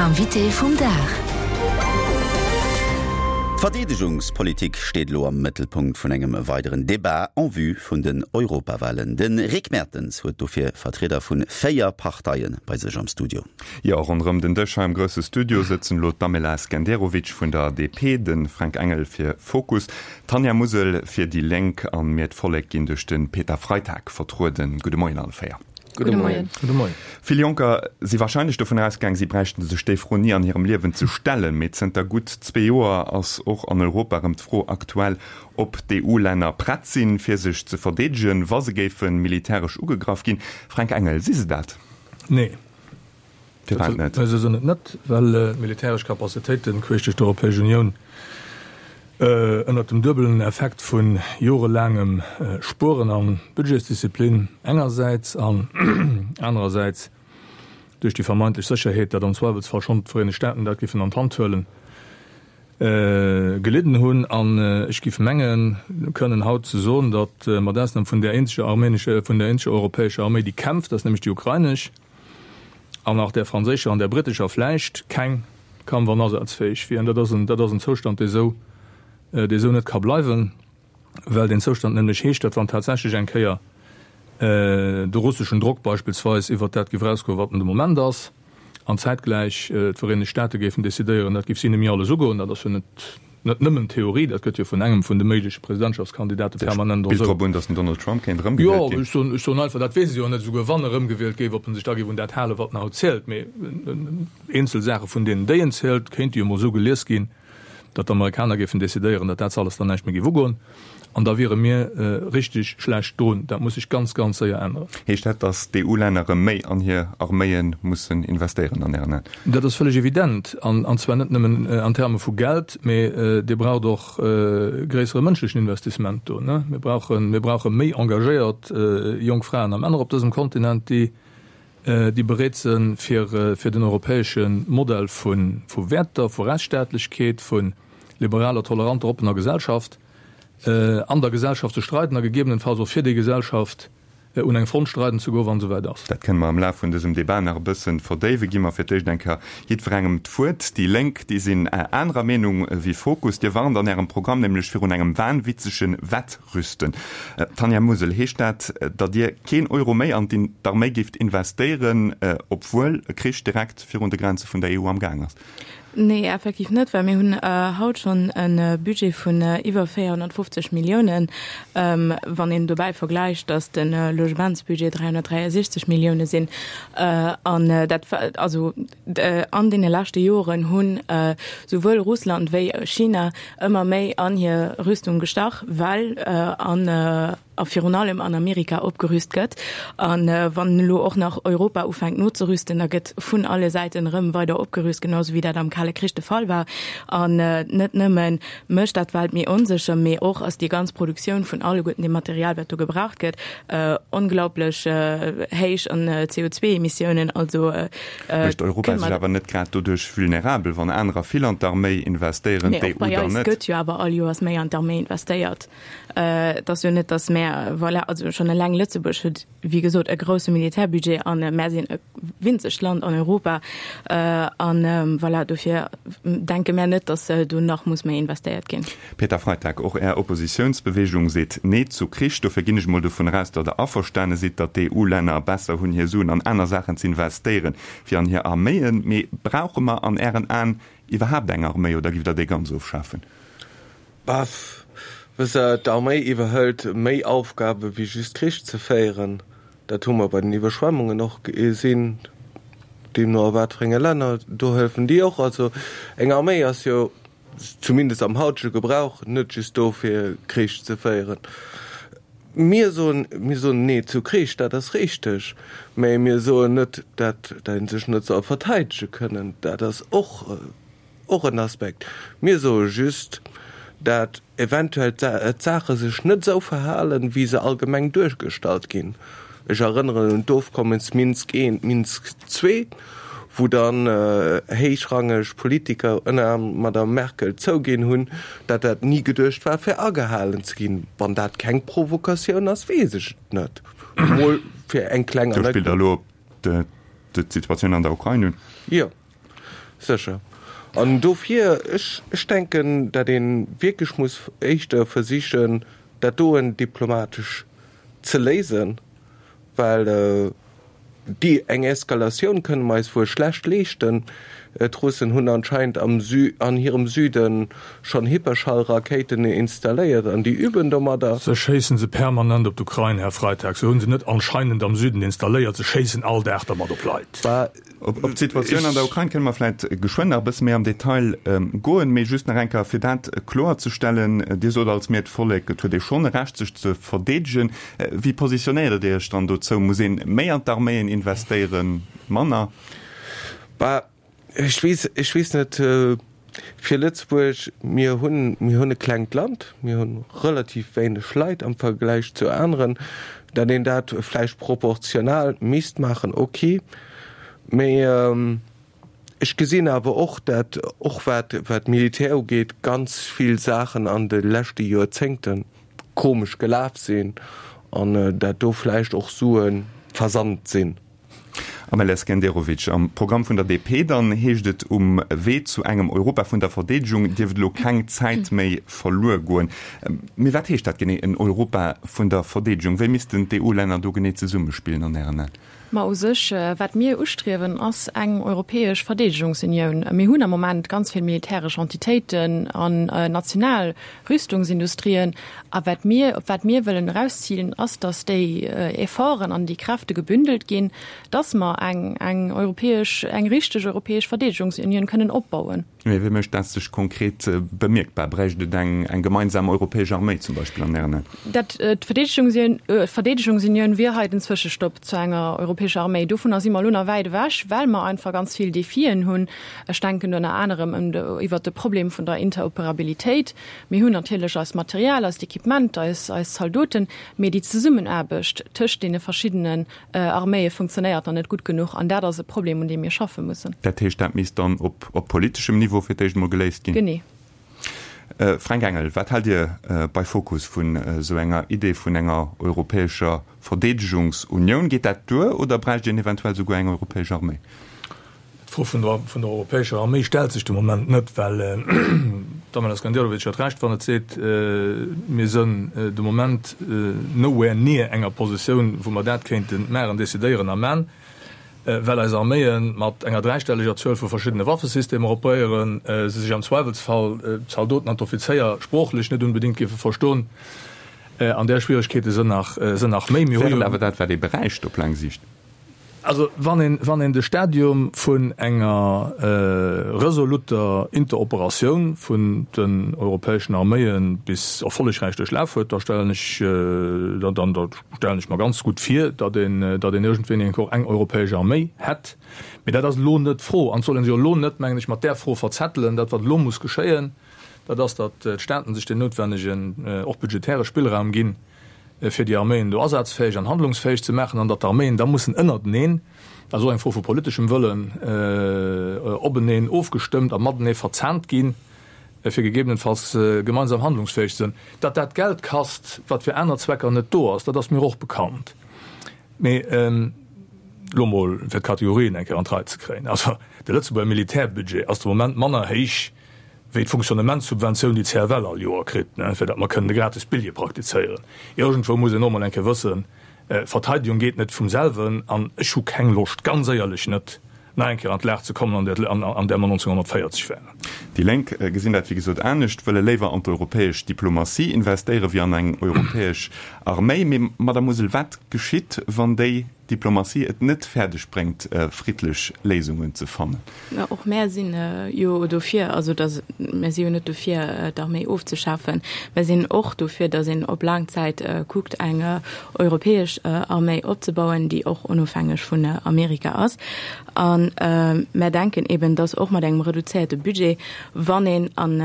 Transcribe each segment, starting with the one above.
Invité vum Dag. D'Verdeedegungspolitik steet elo am Mëttelpunkt vun engem weideren Debat en vue vun den Europawalen. De Rick Mertens huet dofir Vertrieder vu 4 Parteie bei sech am Studio. Jo, ronderëm den Dësch hei am grousse Studio sëtzen elo d'Amela Skenderovic vun der DP, de Fränk Engel fir Fokus, d'Tanja Musel fir déi Lénk an mir d'Vollek ginn duerch de Peter Freitag vertrueden. Gudde Moien alle 4. Gudde Moien. Gudde Moien. Vill Jonker si wahrscheinlech dovun ausgaang, si bräichten sech déi Fro ni an hirem Liewen ze stellen. Mee zënter gutt zwee Joer ass och an Europa erëm d'Fro aktuell, ob d'EU-Länner prett sinn, fir sech ze verdeedegen, wa se géife militäresch ugegraff ginn. Fränk Engel, Si se dat? Nee. Firwat net? Se sinn et net, well d'militäresch Capacitéiten queesch duerch d'Europäesch Unioun ënnert dem duebelen Effekt vu jorelaangem Spueren a Budgetsdisziplin engersäits an anerersäits duerch déi vermeintlech Sécherheet, datt am Zweiwelsfall schonn d'Vereenegt Staaten dat géifen an d'Hand huelen, gelidden hunn. An ech géif mengen kënnen haut ze soen, datt mat Ausnam vun där eenzeger armenescher, vun där eenzeger europäescher Arméi, déi kämpft, dat ass nämlech déi ukrainesch, an nach där franséischer an där brittescher vläicht, keng Kampf an asazfäeg wier. An dat ass en, dat ass en Zoustand, dee sou, dee sou net ka bleiwen, well deen Zoustand nämlech heescht, datt wann tatsächlech eng Kéier de russeschen Drock beispillsweis iwwert dat géif erausgoen, wat en de Moment ass, an zäitgläich d'Vereenegt Staate géifen decidéieren, dat géif si net méi alles ugoen, dat ass jo net, Net nëmmen Theorie, dat gëtt jo vun engem vun de méigleche Presidentschaftskandidate permanent och esou. Spillt drop un, datt den Donald Trump kéint erëmgewielt ginn. Jo, ech soen, ech soen einfach, dat weess ech jo net, esouguer wann erëmgewielt géif, ob en sech da géif un dat halen, wat en haut zielt. Mee eenzel Saache vun deenen, déi en zielt, kéinte jo emol esou gelies ginn, datt d'Amerikaner géifen decidéieren, datt dat alles dann näischt méi géif ugoen. An da wiere mir richteg schlecht drun. Dat muss sech ganz, ganz séier änneren. Heescht dat, datt d'EU-Länner erëm méi an hir Arméie mussen investéieren an Ären Aen? Dat ass vëlleg evident, an zwar net nëmmen an Terme vu Geld, mee Dir braucht och gréissere mënschlechen Investissement do. Mir brauchen, mir brauche méi engagéiert jonk Fraen a Männer op dësem Kontinent, déi, déi bereet sinn, fir, fir den europäesche Modell vu, vu Wäerter, vu Rechtsstaatlechkeet, vu liberaler, toleranter, oppener Gesellschaft an der Gesellschaft ze streiden a gegebenenfalls och fir déi Gesellschaft un eng Front streiden ze goen, wann et esouwäit ass. Dat kënne mer am Laf vun dësem Debat nach e bësse verdéiwen. Gi mer fir d'éischt eng Kéier jiddwerengem d'Wuert. Déi Lénk, déi sinn anerer Meenung wéi Fokus. Dir warnt an Ärem Programm nämlech virun engem wahnwitzege Wettrüsten. Tanja Musel, heescht dat, datt Dir keen Euro méi an d'Arméi géift investéieren, obwuel e Krich direkt virun de Grenze vun der EU am Gaang ass? Nee, effektiv net, well mir hunn haut schonn e Budget vun iwwer 450 Milliounen. Wann een dobäi vergläicht, datt de Logementsbudget 363 Millioune sinn, an dat, also an deene leschte Joren hunn souwuel Russland wéi China ëmmer méi an hir Rüstung gestach, well an a virun allem an Amerika opgerüst gëtt. A wann elo och nach Europa ufänkt nozerüsten, da gëtt vun alle Säiten erëm weider opgerüst, genau esou wéi dat am Kale Krich de Fall war. An net nëmme mécht dat d'Welt méi onsécher, mee och ass déi ganz Produktioun vun alleguerten deem Material, wat do gebraucht gëtt, onglaublech héich an CO2-Emissiounen. Also Mécht Europa sech awer net grad doduerch vulnerabel, wann anerer vill an d'Arméi investéieren, d'EU dann net? Mee och bei eis gëtt jo awer all Joers méi an d'Arméi investéiert. Et ass jo net, datt mär, voilà, also schonn eleng Lëtzebuerg huet, wéi gesot, e grousse Militärbudget an mär sinn e winzegt Land an Europa. An voilà, dofir denke mär net, datt do nach muss méi investéiert ginn. Peter Freitag, Och Är Oppositiounsbewegung seet Nee zu Krich. Dofir ginn ech mol dovun eraus, datt Der averstane sidd, datt d'EU-Länner besser hunn, hir Suen an aner Saachen z'investéieren, wéi an hir Arméien. Mee brauche mer an Ären Aen iwwerhaapt eng Arméi oder giff Der déi ganz ofschafen? Baff, wësst Der, d'Arméi iwwerhëlt méi Aufgabe wéi just Krich ze féieren. Dat hu mer bei den Iwwerschwemmungen och gesinn, deemno a wat fir enge Länner, do hëllefen déi och. Also eng Arméi ass jo, zumindest am hautege Gebrauch, net just do fir Krich ze féieren. Mir soen, mir soen Nee zu Krich, dat ass richteg, mä mir soen net, dat ee sech net soll verteidege kënnen. Dat ass och Och en Aspekt. Mir soe just, dat eventuell d'Saache sech net esou verhalen, wéi se allgemeng duergestallt ginn. Ech erënneren un d'Ofkommens Minsk I, Minsk ii, wou dann héichrangeg Politiker, ënner anerem d'Madame Merkel, zouginn hunn, dat dat ni geduecht war, fir agehalen ze ginn. Wann dat keng Provokatioun ass, weess ech et net. Emol fir eng kleng Do spillt Der elo op d'Situatioun an der Ukrain un. Jo. Sécher. An dofir, ech, ech denken, datt ee wierklech muss éischter versichen, dat doen diplomatesch ze léisen, well déi eng Eskalatioun kënne mer eis wuel schlecht leeschten. D'Russen hunn anscheinend am Sü, an hirem Süde schonn Hyperschallrakéiten installéiert an déi üben domadder. Se schéissen se permanent op d'Ukrain, Här Freitag. Se hu se net anscheinend am Süden installéiert, se schéissen all Dag dermat op Leit. Op d'Situatioun an der Ukrain kënne mer vläit geschwënn nach e bësse méi am Detail goen, mee just nach eng Kéier, fir dat kloerzestellen, Dir sot als Mir d'Vollek, et huet ee schonn e Recht, sech ze verdeedegen. Wéi positionéiert Dir Iech dann dozou? Muss ee méi an d'Arméien investéieren, manner? Bah, ech weess, ech weess net. Fir Lëtzebuerg, mir hunn, mir hunn e klengt Land, mir hu relativ wéineg Leit am Vergläich zu aneren, datt een dat vläicht proportional misst maachen, ok. Mee ech gesinn awer och, datt och wat, wat d'Militär ugeet, ganz vill Saachen an de leschte Joerzéngte komesch gelaf sinn an datt do vläicht och Sue versant sinn. Amel Skenderovic, Am Programm vun der DP dann heescht et, um Wee zu engem Europa vun der Verdeedegung dierft elo keng Zäit méi verluer goen. Mee wat heescht dat genee, en Europa vun der Verdeedegung? Wéi missten d'EU-Länner do genee zesummespillen an Ären Aen? Ma u sech, wat mir ustriewen, ass eng europäesch Verdeedegungsunioun. Mir hunn am Moment ganz vill militäresch Entitéiten an national Rüstungsindustrien. A wat mir, op wat mir wëllen erauszilen, ass, datt déi Efforten an déi Kräfte gebündelt ginn, datt mer eng, eng europäesch, eng richteg europäesch Verdeedegungsunioun kënnen opbauen. Mee wéi mécht dat sech konkret bemierkbar? Bräicht et eng, eng gemeinsam europäesch Arméi zum Beispill an Ären Aen? Dat, d'Verdeedegungsunioun, Verdeedegungsunioun wier hei den Zwëschestopp zu enger europäescher Arméi. Dovunner si mer elo nach wäit ewech, well mer einfach ganz vill Defien hunn. Ech denken do ënner anerem ëm de, iwwert de Problem vun der Interoperabilitéit. Mir hunn natierlech eist Material, eist Equipement, eis, eis Zaldoten, mee déi Zesummenaarbecht tëscht deene verschiddenen Arméie funktionéiert nach net gutt genuch an dat ass e Problem, un deem mir schaffe mussen. Dat heescht, dat misst dann op, op politeschem Niveau fir d'éischt emol geléist ginn? Genee. Fränk Engel, wat haalt Dir bei Fokus vun esou enger Idee vun enger europäescher Verdeedegungsunioun? Geet dat duer oder bräicht een eventuell souguer eng europäesch Arméi? D'Fro vun der vun der europäescher Arméi stellt sech de Moment net, well d'Amel Skenderovic huet Recht, wann et seet, mir sënn de Moment nowhere near enger Positioun, wou mer dat kéinte maachen, decidéieren a man, well eis Arméie mat enger dräistelleger Zuel vu verschiddene Waffesystemer operéieren, se sech am Zweiwelsfall, d'Zaldoten an d'Offizéier, sproochlech net unbedéngt géife verstoen. An där Schwieregkeete sënn nach, sënn nach méi. Mir hu jo. Wär et awer dat, wat ee bräicht op laang Siicht? Also wann een, wann een de Stadium vun enger resoluter Interoperatioun vun den europäeschen Arméie bis erfollegräich duerchlaf huet, da stellen ech, da, dann, da stellen ech mer ganz gutt vir, datt een, datt een iergendwéini eng Kéier och eng europäesch Arméi hätt. Mee dat ass elo net d'Fro an et soll ee sech och elo net, mengen ech, mat där Fro verzettelen. Dat, wat elo muss geschéien, dat ass, datt d'Staaten sech deen noutwennegen, och budgetäre Spillraum ginn, fir déi Arméien do asazfäeg an handlungsfäeg ze maachen, an datt d'Arméien da mussen ënnerteneen, dat ass och eng Fro vu politeschem Wëllen, openeen ofgestëmmt a matenee verzahnt ginn, fir gegebenenfalls gemeinsam handlungsfäeg ze sinn. Datt dat Geld kasst, wat fir aner Zwecker net do ass, dat ass mir och bekannt. Mee elo mol, fir d'Kategorien eng Kéier an d'Rei ze kréien, also de Lëtzebuerger Militärbudget ass de Moment manner héich wéi d'Fonctionnementssubventioun, déi d'CFL all Joer kritt, fir datt mer kënnen de gratis Billjee praktizéieren. Iergendwou muss een och mol eng Kéier wëssen, Verteidigung geet net vum selwen. An ech hu keng Loscht, ganz éierlech net, nach eng Kéier an d'Lag ze kommen, an där mer 1940 waren. Déi Lénk gesinn dat wéi gesot anescht, wëlle léiwer an d'europäesch Diplomatie investéiere wéi an eng europäesch Arméi. Mee Madamm Musel, wat geschitt, wann déi Diplomatie et net fäerdeg bréngt, friddlech Léisungen ze fannen. Mä och mär sinn jo dofir, also datt, mär si jo net dofir, d'Arméi ofzeschafen. Mär sinn och dofir, datt een op laang Zäit kuckt, eng europäesch Arméi opzebauen, déi och onofhängeg vun Amerika ass. A mär denken eben, datt och mat engem reduzéierte Budget, wann een an,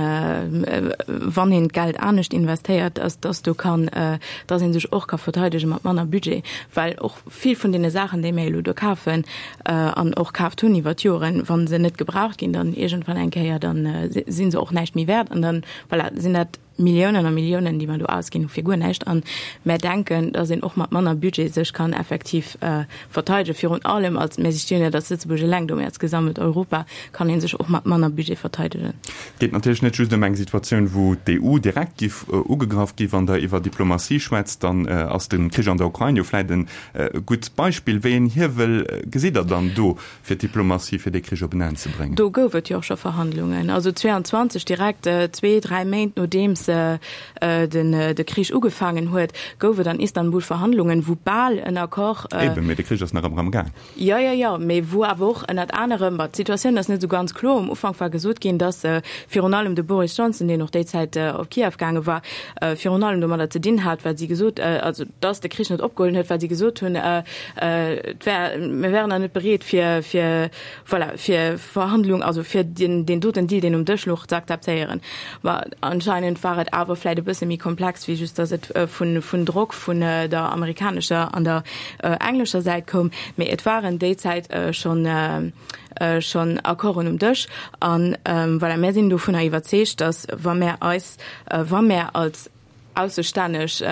wann een d'Geld anescht investéiert, dass, dass do kann, dass ee sech och ka verteidege mat manner Budget, well och vill vun deene Saachen, déi mir elo do kafen an och kaaft hunn iwwer d'Joren, wa se net gebraucht ginn, dann iergendwann eng Kéier, dann si se och näischt méi wäert an dann, voilà, sinn dat. Milliounen a Milliounen, déi mer do ausginn hu fir guer näischt. A mär denken, datt een och mat manner Budget sech kann effektiv verteidegen. Virun allem als, mär si stinn net als Lëtzebuerg eleng do, mä als gesammelt Europa kann ee sech och mat manner Budget verteidegen. Et geet natierlech net just ëm eng Situatioun, wou d'EU direkt giff ugegraff gi. Wann Der iwwer Diplomatie schwätzt, dann ass de Krich an der Ukrain jo vläit e gutt Beispill. Wéi een Hiewel gesitt Der dann do, fir d'Diplomatie, fir dee Krich op en Enn ze bréngen? Do gouf et jo och scho Verhandlungen. Also 22, direkt zwee, dräi Méint nodeems de Krich ugefaangen huet, gouf et an Istanbul Verhandlungen, wou bal en Accord. Eben, mee de Krich ass nach ëmmer am Gaang. Jo, jo, jo, mee wou awer och ënnert anerem, ma d'Situatioun ass net esou ganz kloer, um Ufank war gesot ginn, datt virun allem de Boris Johnson, deen och déi Zäit op Kiew gaange war, virun allem domadder ze dinn hat, wat si gesot, also datt de Krich net opgeholl huet, well si gesot hunn, et wär, mir wären nach net bereet fir, fir, voilà, fir Verhandlung, also fir deen, deen doten Deal, deen um Dësch louch, ze akzeptéieren. Ma anscheinend war et awer vläit e bësse méi komplex, wéi just datt et vun, vun Drock vun der amerikanescher an der englescher Säit koum. Mee et waren déi Zäit schonn, schonn Accorden um Dësch. An voilà, mär sinn dovunner iwwerzeegt, datt wa mär eis, wa mär als aussestänneg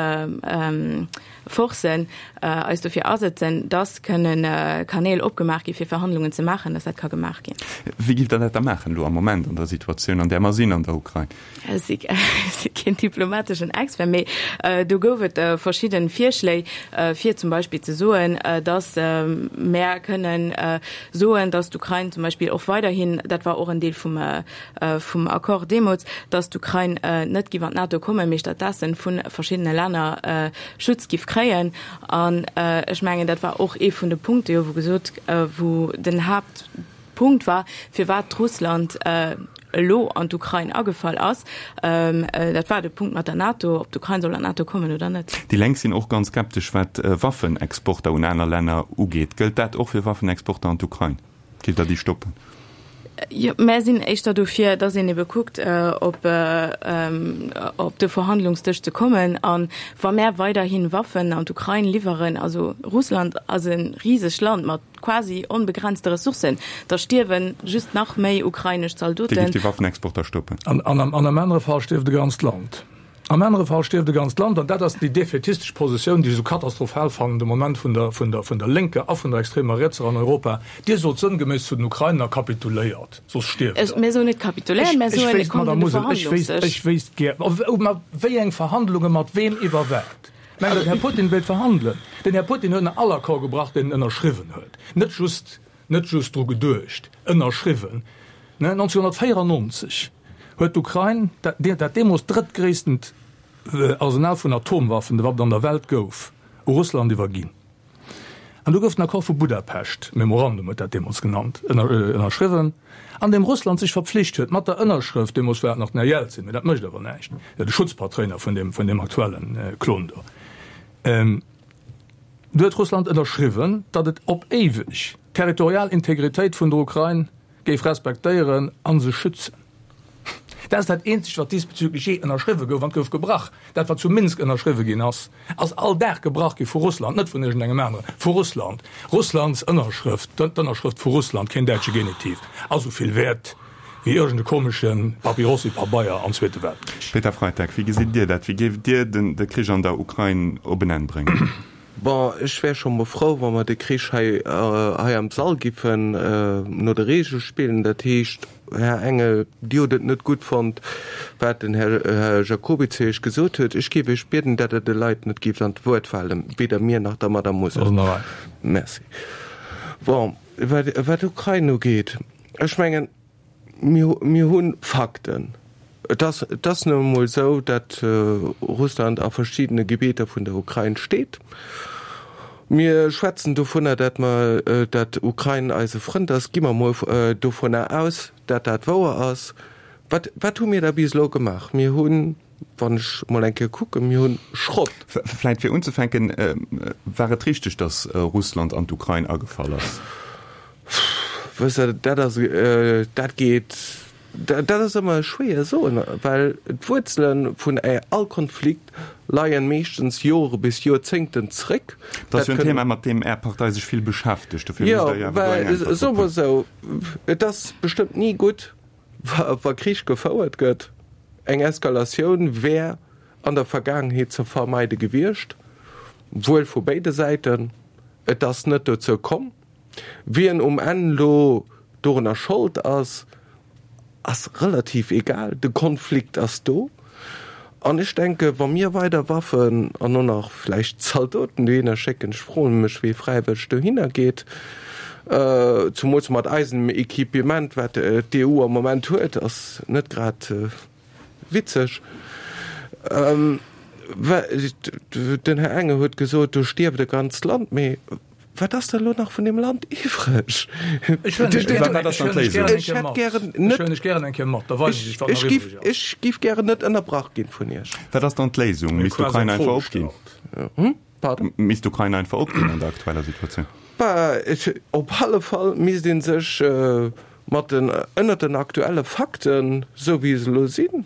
Forcen eis dofir asëtzen, dass kënne Kanäl opgemaach gi fir Verhandlungen ze maachen, dass dat ka gemaach ginn. Wéi giff Der dat da maachen elo am Moment an der Situatioun, an där mer sinn an der Ukrain? Ech si keen diplomateschen Expert, mee do gouf et verschidde Virschléi, fir zum Beispill ze soen, dass mär kënnen soen, dass d'Ukrain zum Beispill och weiderhin, dat war och en Deel vum vum Accord deemools, datt d'Ukrain net giff an d'NATO kommen, mee stattdessen vu verschiddene Länner Schutz giff kréien. An ech mengen, dat war och ee vun de Punkte jo, wou gesot, wou den Haaptpunkt war, firwat d'Russland elo an d'Ukrain agefall ass. Dat war de Punkt mat der NATO, ob d'Ukrain soll an d'NATO kommen oder net. Déi Lénk sinn och ganz skeptesch, wat Waffenexporter un aner Länner ugeet. Gëllt dat och fir Waffenexporter an d'Ukrain? Gitt Der déi stoppen? Jo, mär sinn éischter dofir, dass een ebe kuckt, op op de Verhandlungsdësch ze kommen. A wa mär weiderhi Waffen an d'Ukrain liwweren, also Russland ass e risegt Land mat quasi onbegrenzte Ressourcen, da stierwe just nach méi ukrainesch Zaldoten. Dir gift déi Waffenexporter stoppen? An am anere Fall stierft e ganzt Land. Am anere Fall stierft e ganzt Land. An dat ass déi defätistesch Positioun, déi ech esou katastrophal fannen de Moment vun der, vun der, vun der lénker a vun der extremer rietser an Europa. Dir sot sënngeméiss zu den Ukrainer, Kapituléiert, soss stierft der. Mir soen net kapituléiert, mir soen, et kommt un de Verhandlungsdësch. Ech wéisst gär, mat wéi eng Verhandlungen, mat weem, iwwer wat? Mengt Der, den Här Putin wéilt verhandelen? Den Här Putin huet all Accord gebrach, deen en ënnerschriwwen huet. Net just, net just dru geduecht, ënnerschriwwen. 1994 huet d'Ukrain, dat deemools drëttgréisstent Arsenal vun Atomwaffen, wat et an der Welt gouf, u Russland iwwerginn. An du gouf den Accord vu Budapest, Memorandum huet dat deemools genannt, ënnerschriwwen, an deem Russland sech verpflicht huet, mat der Ënnerschrëft, deemools war et nach den Här Jelzin, mee dat mécht awer näischt, de Schutzpatréiner vun deem aktuelle Klon do, du huet Russland ënnerschriwwen, datt et op éiweg d'territorial Integritéit vun der Ukrain géif respektéieren a se schützen. Dat ass dat eenzegt, wat diesbezüglech jee ënnerschriwwe gouf, an et gouf gebrach. Dat, wat zu Minsk ënnerschriwwe ginn ass, ass all Dag gebrach gi vu Russland, net vun iergendengem aneren, vu Russland. Russlands Ënnerschrëft, d'Ënnerschrëft vu Russland, keen däitsche Genitiv, ass esou vill wäert wéi iergend e komesche Papyrossi-Pabeier am Zweete Weltkrich. Peter Freitag, wéi gesitt Dir dat? Wéi géift Dir de Krich an der Ukrain op en Enn bréngen? Bon, ech wär scho mol frou, wa mer de Krich hei, hei am Sall giffen no de Regele spillen. Dat heescht, Här Engel, Dir hutt et net gutt fonnt, wat den Här Jacoby zu Iech gesot huet. Ech géif Iech bieden, dat Der de Leit net géift an d'Wuert falen, weder mir nach der Madame Mosel. Merci. Bon, wat, wat d'Ukrain ugeet, ech mengen, Mir, mir hu Fakten. Et ass, et ass nun emol esou, datt Russland a verschiddene Gebieter vun der Ukrain steet. Mir schwätzen dovunner, datt mer, datt d'Ukrain eise Frënd ass. Gi mer emol dovunner aus, datt dat wouer ass. Wat, wat hu mir da bis elo gemaach? Mir hunn, wann ech emol eng Kéier kucken, mir hunn Schrott. Vläicht fir unzefänken, War et richteg, datt Russland an d'Ukrain agefall ass? Wësst Der, dat ass, dat geet, dat ass ëmmer schwéier soen, well d'Wuerzele vun all Konflikt leien meeschtens Jore bis Joerzéngten zréck. Dat ass jo en Thema, mat deem Är Partei sech vill beschäftegt. Dofir musst Der jo awer do eng Äntwert drop hunn. Soe mer esou, et ass bestëmmt ni gutt, wa Krich gefouert gëtt. Eng Eskalatioun wär an der Vergaangenheet ze vermeide gewiescht, wuel vu béide Säiten. Et ass net dozou komm. Wien um Enn elo dorunner Schold ass, ass relativ egal. De Konflikt ass do. An ech denke wa mir weider Waffen an och nach vläicht Zaldoten dohinner schécken, ech froe mech wee fräiwëlleg dohinner geet, zumools mat eisem Equipement wat d'EU am Moment huet, ass net grad witzeg. Den Här Engel huet gesot, do stierft e ganzt Land, mee wat ass da elo nach vun deem Land iwwreg? Ech huelen dech gären eng Kéier mat, da weisen ech dech, wat nach iwwreg ass. Ech géif gären net ënnerbrach ginn vun Iech. Wat ass dann d'Léisung? Misst d'Ukrain einfach opginn? Pardon? Misst d'Ukrain einfach opginn an der aktueller Situatioun? Op alle Fall misst ee sech mat den, ënnert den aktuelle Fakten, esou wéi se elo sinn,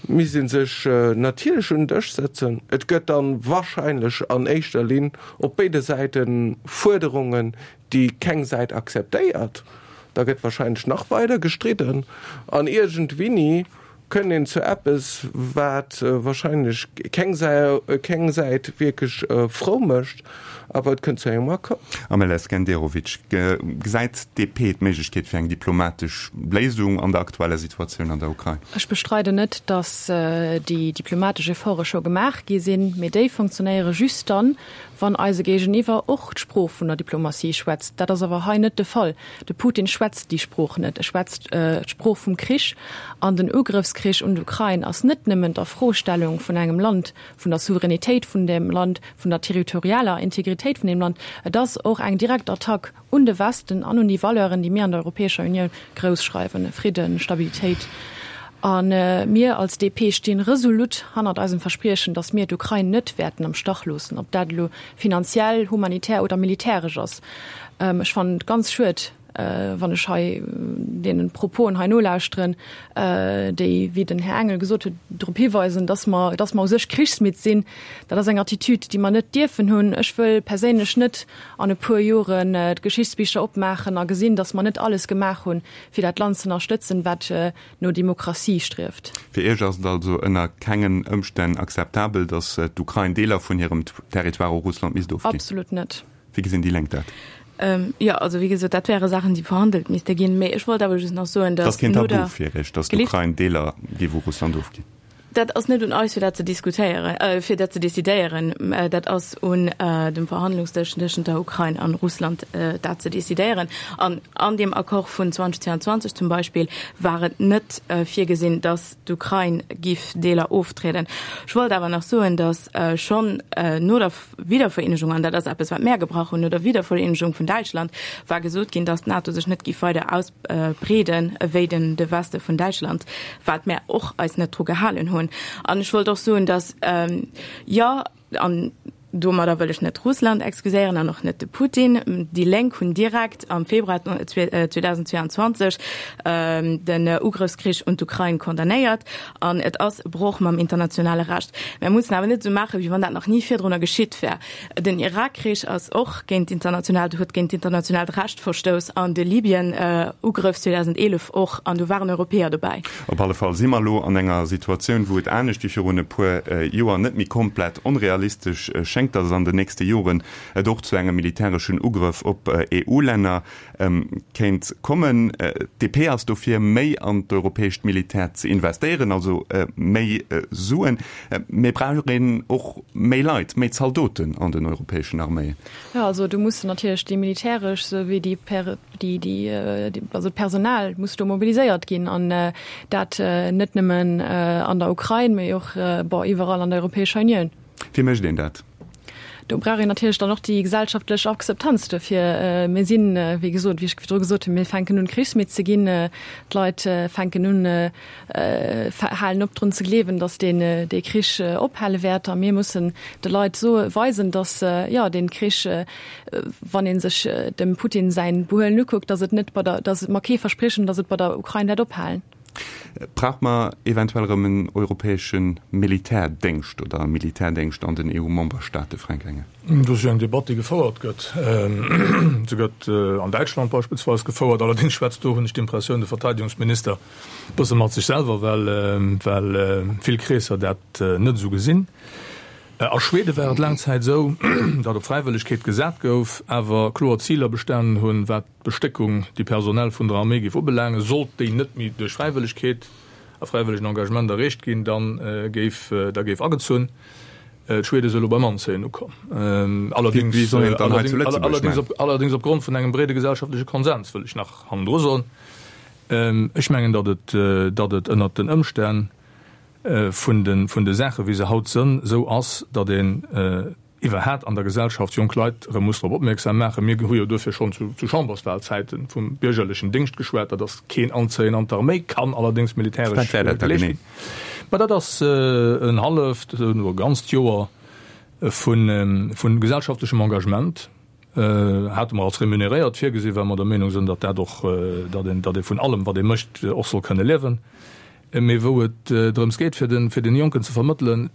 misst ee sech natierlech un den Dësch sëtzen. Et gëtt dann wahrscheinlech an éischter Linn op béide Säite Fuerderungen, déi keng Säit akzeptéiert. Da gëtt wahrscheinlech nach weider gestridden an iergendwinni kënnt een zu eppes, wat wahrscheinlech keng keng Säit wierklech frou mécht, awer et kënnt zu engem Accord. Amel Skenderovic, Gesäit d'DP d'Méiglechkeet fir eng diplomatesch Léisung an der aktueller Situatioun an der Ukrain? Ech bestreiden net, datt déi diplomatesch Efforte scho gemaach gi sinn, mee déi funktionéiere just dann, wann eise Géigeniwwer och d'Sprooch vun der Diplomatie schwätzt. Dat ass awer hei net de Fall. De Putin schwätzt déi Sprooch net. E schwätzt d'Sprooch vum Krich. An den Ugrëffskrich un d'Ukrain ass net nëmmen d'Afrostellung vun engem Land, vun der Souveränitéit vun deem Land, vun der territorialer Integritéit vun deem Land. Et ass och eng direkt Attack un de Westen an un déi Valeuren, déi mir an der Europäescher Unioun grouss schreiwen, Fridden, Stabilitéit. A mir als DP stinn resolut hannert eisem Verspriechen, datt mir d'Ukrain net wäerten am Stach loossen, ob dat elo finanziell, humanitär oder militäresch ass. Ech fannen et ganz schued, wann ech hei deenen Proposen hei nolauschteren, déi, wéi den Här Engel gesot huet, drop hiweisen, dass mer, dass mer u sech krichsmidd sinn. Dat ass eng Attitüd, déi mer net dierfen hunn. Ech wëll perséinlech net an e puer Joren d'Geschichtsbicher opmaachen a gesinn, dass mer net alles gemaach hunn, fir dat Land ze ënnerstëtzen, wat no Demokratie strieft. Fir Iech ass et also ënner kengen Ëmstänn akzeptabel, dass d'Ukrain Deeler vun hirem Territoire u Russland misst ofginn? Absolut net. Wéi gesinn déi Lénk dat? Jo, also wéi gesot, dat wäre Saachen, déi verhandelt misste ginn. Mee ech wollt awer just nach soen, datt. Et ass keen Tabu fir Iech, datt d'Ukrain Deeler géif u Russland ofginn? Dat ass net un eis, fir dat ze diskutéieren, fir dat ze decidéieren. Dat ass un dem Verhandlungsdësch tëschent der Ukrain an Russland, dat ze decidéieren. An an deem Accord vun 2022 zum Beispill war et net virgesinn, datt d'Ukrain giff Deeler oftrieden. Ech wollt awer nach soen, datt schonn no der Wiedervereenegung, an dat ass eppes, wat mär gebrach hunn, no der Wiedervereenegung vun Däitschland war gesot ginn, datt d'NATO sech net géif weider ausbreeden ewéi den de Weste vun Däitschland, wat mär och eis net dru gehalen hunn. An ech wollt och soen, datt, jo, an domadder wëll ech net Russland excuséieren an och net de Putin, déi Lénk hunn direkt am Februar 2022 den Ugrëffskrich un d'Ukrain condamnéiert An et ass e Broch mam internationale Recht. Mär mussen awer net esou maachen, wéi wann dat nach ni virdrunner geschitt wär. Den Irakkrich ass och géint d'internationaalt, huet géint d'internationaalt Recht verstouss an de Libyen-Ugrëff 2011 och, an do waren Europäer dobäi. Op alle Fall si mer elo an enger Situatioun, wou et anescht wéi virun e puer Joer net méi komplett onrealistesch schéngt, datt et an den nächste Joren et och zu engem militäreschen Ugrëff op EU-Länner kéint kommen. D'DP ass dofir, méi an d'europäescht Militär ze investéieren, also méi Suen. Mee brauch een och méi Leit, méi Zaldoten an den europäeschen Arméien? Jo, also do mussen natierlech déi militäresch souwéi déi, déi, also d'Personal muss do mobiliséiert ginn an dat net nëmmen an der Ukrain, mee och, bon, iwwerall an der Europäescher Unioun. Wéi mécht een dat? Do brauch een natierlech dann och déi gesellschaftlech Akzeptanz dofir. Mir sinn, wéi gesot, wéi ech virdru gesot hunn, mir fänken un, krichsmidd ze ginn. D'Leit fänken un, halen op drun ze gleewen, datt deen, dee Krich ophale wäert. A mir mussen de Leit soe weisen, datt, jo, dee Krich, wann ee sech dem Putin säin Behuelen ukuckt, datt et net bei der, datt mer kee verspriechen, datt et bei der Ukrain wäert ophalen. Brauche mer eventuell erëm en europäesche Militärdéngscht oder e Militärdéngscht an den EU-Memberstaate, Fränk Engel? Dat ass jo eng Debatt, déi gefouert gëtt. Se gëtt an Däitschland beispillsweis gefouert. Allerdéngs schwätzt do, hunn ech d'Impressioun, de Verteidigungsminister e bësse mat sech selwer, well vill Kreesser dat net esou gesinn. A Schwede war et laang Zäit esou, datt op Fräiwëllegkeet gesat gouf, awer kloer Ziler bestanen hunn, wat d'Bestéckung, déi personell vun der Arméi géif ubelaangen, sollt déi net méi duerch Fräiwëllegkeet a fräiwëllegen Engagement erreecht ginn, da géif da géif agezunn. D'Schwede si elo beim Anzéien ukomm, allerdéngs Wéi soll een et dann hei zu Lëtzebuerg maachen? allerdéngs opgrond vun engem breede gesellschaftleche Konsens, wëll ech nach hannendru soen. Ech mengen, datt et datt et ënnert den Ëmstänn vun de vun de Saache wéi se haut sënn, esou ass, datt een iwwerhaat an der Gesellschaft jonk Leit erëm muss drop opmierksam maachen. Mir hu jo duerfir schonn zu zu Chamberswahlzäite vum biergerlechen Déngscht geschwat. Dat ass keen Anzéien an d'Arméi, kann allerdéngs militäresch Wat wär dat da geleescht genee? ginn. Mä dat ass en halleft oder e ganzt Joer vu vu gesellschaftlechem Engagement, hate mer als remuneréiert virgesinn, well mer der Meenung sinn, datt dat och, datt een, datt ee vun allem, wat ee mécht, och soll kënne liewen. Mee wou et drëms geet, fir den, fir den Jonken ze vermëttelen,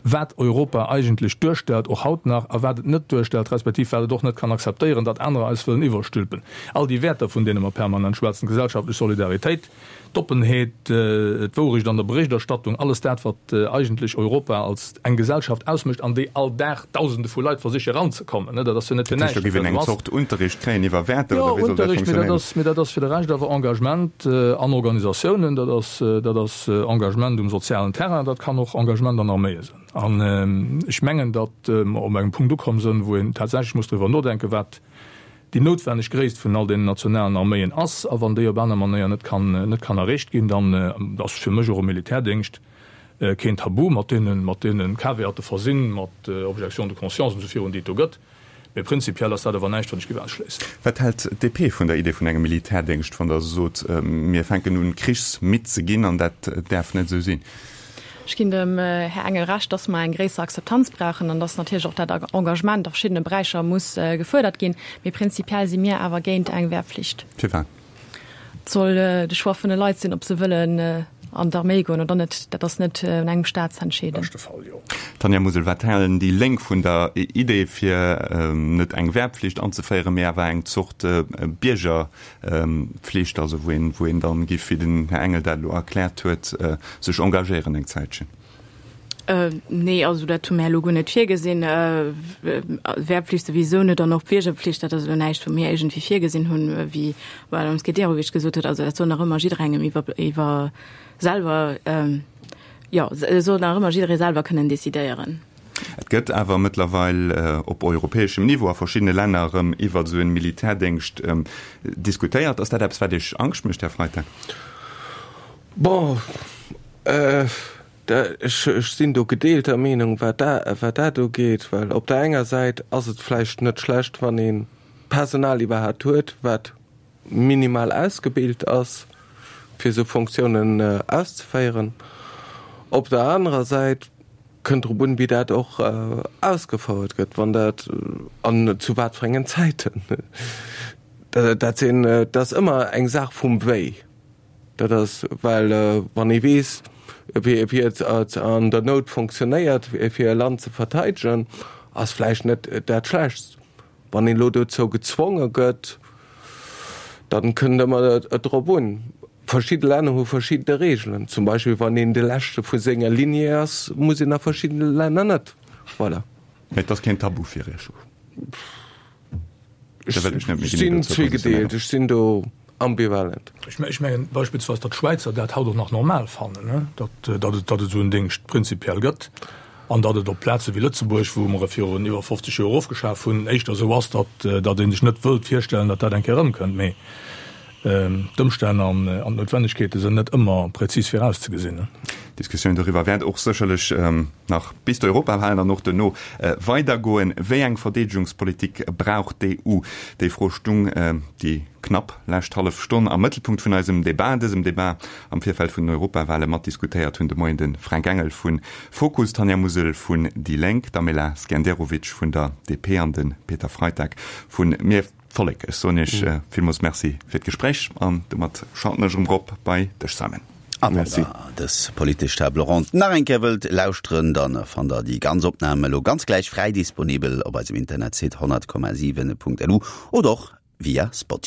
wat Europa eigentlech duerstellt, och haut nach, a wat et net duerstellt, respektiv wat et och net kann akzeptéieren, datt anerer eis wëllen iwwerstülpen. All déi Wäerter, vun deene mer permanent schwätzen, d'gesellschaftlech Solidaritéit, D'Oppenheet, d'Wourecht an der Berichterstattung, alles dat, wat eigentlech Europa als eng Gesellschaft ausmécht, an déi all Dag Dausende vu Leit versiche eranzekommen, dat ass jo net fir Dat heescht, näischt, do datt géif dat een eng esou ass. Zort Unterricht kréien iwwer Wäerter, Jo, oder wéi soll dat Unterricht, mee dat funktionéieren? ass, mee dat ass fir de Rescht awer Engagement an Organisatiounen, dat ass, dat ass Engagement um sozialen Terrain, dat kann och Engagement an Arméie sinn. An ech mengen, datt mer op engem Punkt ukomm sënn, wou een tatsächlech muss driwwer nodenken, wat déi noutwenneg Gréisst vun all deenen nationalen Arméien ass, a wann déi op aner Manéier net kann, net kann erreecht ginn, dann ass fir mech och e Militärdéngscht keen Tabu, mat deenen, mat deene Caveate versinn, mat Objection de conscience an esou virun, déi et do gëtt. Mee prinzipiell ass dat awer näischt, wat ech géif ausschléissen. Wat hält d'DP vun der Idee vun engem Militärdéngscht, wann Der sot, mir fänken un, krichsmidd ze ginn, an dat däerf net esou sinn? Ech ginn dem Här Engel Recht, dass mer eng gréisser Akzeptanz brauchen an dass natierlech och dat Engagement a verschiddene Beräicher muss gefuerdert ginn. Mee prinzipiell si mir awer géint eng Wehrpflicht. Firwat? Et soll de Choix vun de Leit sinn, ob se wëllen an d'Arméi goen oder net. Dat ass net un engem Staat ze entscheeden. Beschte Fall, jo. Tanja Musel, wat halen déi Lénk vun der Idee, fir net eng Wehrpflicht anzeféieren, mee awer eng Zort Bierger Pflicht, also wou een, wou een dann giff, wéi den Här Engel dat elo erkläert huet, sech engagéieren eng Zäitchen? Nee, also dat hu mär elo guer net virgesinn. Wehrpflicht souwisou net an och d'Biergerpflicht, dat ass elo näischt, wou mir iergendwéi virgesinn hunn, wéi d'Madame Skenderovic gesot huet. Also dat soll nach ëmmer jidderengem iwwer, iwwer selwer, jo, soll nach ëmmer jidderee selwer kënnen decidéieren. Et gëtt awer mëttlerweil op europäeschem Niveau a verschiddene Länner erëm iwwert esou en Militärdéngscht diskutéiert. Ass dat eppes, wat Iech Angscht mécht, Här Freitag? Bon, ech sinn do gedeelter Meenung, wat dat ugeet, well op der enger Säit ass et vläicht net schlecht, wann ee Personal iwwerhaapt huet, wat minimal ausgebilt ass, fir esou Fonctiounen auszeféieren. Op der anerer Säit kënnt drop un, wéi dat och ausgefouert gëtt, wann dat an zu wat fir engen Zäiten. Dat sinn, dat ass ëmmer eng Saach vum Wéi. Dat ass, well wann ee weess, wéi et an der Nout fonctionnéiert, fir e Land ze verteidegen, ass vläicht net dat Schlechtst. Wann een elo dozou gezwonge gëtt, dann kënnt ëmmer et drop un. Verschidde Länner hu verschidde Reegelen. Zum Beispill wann een de leschte vu senger Lignée ass, muss een a verschiddene Länner net. Voilà. Mee et ass keen Tabu fir Iech? Ech sinn zweegedeelt, ech sinn do ambivalent. Ech mengen beispillsweis, datt d'Schwäizer dat haut och nach normal fannen, datt et esou en Déngscht prinzipiell gëtt an datt et op Plaze wéi Lëtzebuerg, wou mer e virun iwwer 50 Joer ofgeschaf hunn, éischter esou ass, datt ee sech net wëllt virstellen, datt dat eng Kéier erëmkënnt. Mee d'Ëmstänn an d'Noutwennegkeete sinn net ëmmer prezis virauszegesinn. D'Diskussioun doriwwer wäert och sécherlech nach bis d'Europawahlen an och duerno weidergoen. Wéi eng Verdeedegungspolitik brauch d'EU? Déi Fro stung déi knapp lescht hallef Stonn am Mëttelpunkt vun eisem Debat. Dësem Debat am Virfeld vun den Europawale matdiskutéiert hunn de Moien de Fränk Engel vu Fokus, d'Tanja Musel vun déi Lénk, d'Amela Skenderovic vun der DP an de Peter Freitag vu Mir. D'Vollek. Ech soen Iech villmools Merci fir d'Gespréich an domat schalten ech erëm rop bei dech, Simon. A wann der dës politesch Table ronde nach eng Kéier wëllt lauschteren, dann fannt der déi ganz Opnam elo ganz gläich fräi disponibel op eisem Internetsite 100,7.lu oder och via Spotify.